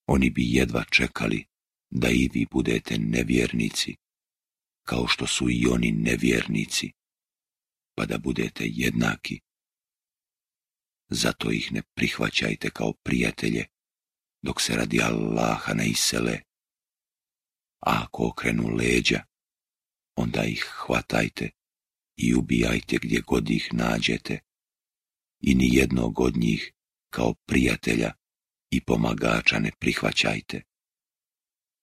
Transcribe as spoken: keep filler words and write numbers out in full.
Oni bi jedva čekali da i vi budete nevjernici, kao što su i oni nevjernici, pa da budete jednaki. Zato ih ne prihvaćajte kao prijatelje, dok se radi Allaha ne isele. A ako okrenu leđa, onda ih hvatajte i ubijajte gdje god ih nađete, i ni jednog od njih kao prijatelja i pomagača ne prihvaćajte.